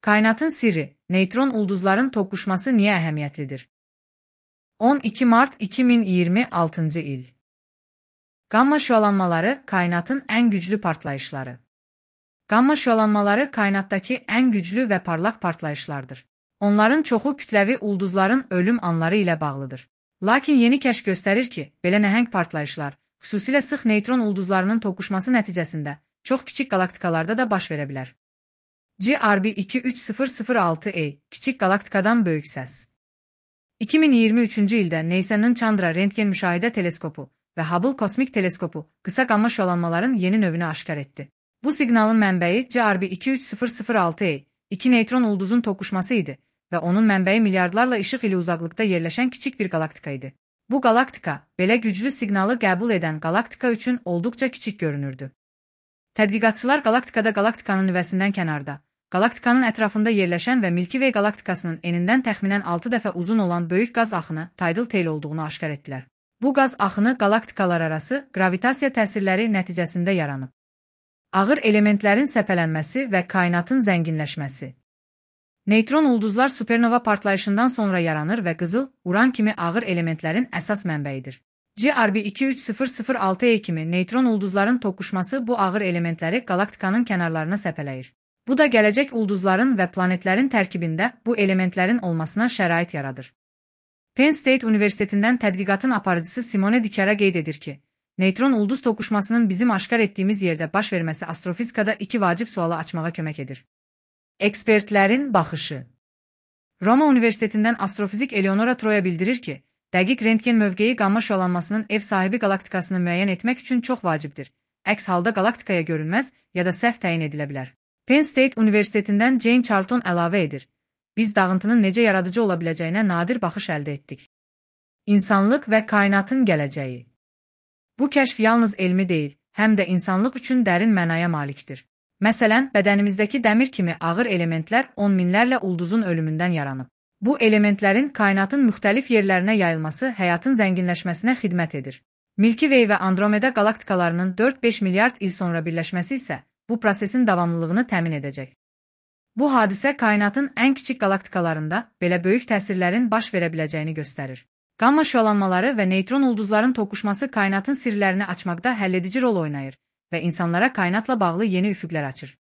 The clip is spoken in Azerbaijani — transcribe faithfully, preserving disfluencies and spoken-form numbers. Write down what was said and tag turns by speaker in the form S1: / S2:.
S1: Kainatın sirri, neytron ulduzların toqquşması niye əhəmiyyətlidir? on iki Mart iki min iyirmi altıncı il. Gamma şüalanmaları kainatın ən güclü partlayışları. Gamma şüalanmaları kainatdakı ən güclü və parlaq partlayışlardır. Onların çoxu kütləvi ulduzların ölüm anları ilə bağlıdır. Lakin yeni kəşf göstərir ki, belə nəhəng partlayışlar, xüsusilə sıx neytron ulduzlarının toqquşması nəticəsində çox kiçik qalaktikalarda da baş verə bilər. G R B iki üç sıfır sıfır altı A kiçik qalaktikadan böyük səs. iki min iyirmi üçüncü ildə NASA'nın Chandra Rentgen Müşahidə Teleskopu və Hubble Kosmik Teleskopu qısa qamma şüalanmaların yeni növünü aşkar etdi. Bu siqnalın mənbəyi G R B iki üç sıfır sıfır altı A, iki neytron ulduzun toqquşması idi və onun mənbəyi milyardlarla işıq ili uzaqlıqda yerləşən kiçik bir qalaktika idi. Bu qalaktika, belə güclü siqnalı qəbul edən qalaktika üçün olduqca kiçik görünürdü. Tədqiqatçılar qalaktikada qalaktikanın nüvəsindən kənarda, qalaktikanın ətrafında yerləşən və Milky Way qalaktikasının enindən təxminən altı dəfə uzun olan böyük qaz axını tidal tail olduğunu aşkar etdilər. Bu qaz axını qalaktikalar arası qravitasiya təsirləri nəticəsində yaranıb. Ağır elementlərin səpələnməsi və kainatın zənginləşməsi. Neytron ulduzlar supernova partlayışından sonra yaranır və qızıl, uran kimi ağır elementlərin əsas mənbəyidir. G R B iki üç sıfır sıfır altı A kimi neytron ulduzların toqquşması bu ağır elementləri qalaktikanın kənarlarına səpələyir. Bu da gələcək ulduzların və planetlərin tərkibində bu elementlərin olmasına şərait yaradır. Penn State Universitetindən tədqiqatın aparıcısı Simone Dikara qeyd edir ki, neytron ulduz toqquşmasının bizim aşkar etdiyimiz yerdə baş verməsi astrofizikada iki vacib sualı açmağa kömək edir. Ekspertlərin baxışı. Roma Universitetindən astrofizik Eleonora Troya bildirir ki, dəqiq rentgen mövqeyi qamma şüalanmasının ev sahibi qalaktikasını müəyyən etmək üçün çox vacibdir. Əks halda qalaktikaya görünməz ya da səhv təyin edilə bilər. Penn State Universitetindən Jane Charlton əlavə edir. Biz dağıntının necə yaradıcı ola biləcəyinə nadir baxış əldə etdik. İnsanlıq və kainatın gələcəyi. Bu kəşf yalnız elmi deyil, həm də insanlıq üçün dərin mənaya malikdir. Məsələn, bədənimizdəki dəmir kimi ağır elementlər on minlərlə ulduzun ölümündən yaranıb. Bu elementlərin kainatın müxtəlif yerlərinə yayılması həyatın zənginləşməsinə xidmət edir. Milky Way və Andromeda qalaktikalarının dörd-beş milyard il sonra birləşməsi isə bu prosesin davamlılığını təmin edəcək. Bu hadisə kainatın ən kiçik qalaktikalarında belə böyük təsirlərin baş verə biləcəyini göstərir. Gamma şüalanmaları və neytron ulduzların toqquşması kainatın sirlərini açmaqda həlledici rol oynayır və insanlara kainatla bağlı yeni üfüqlər açır.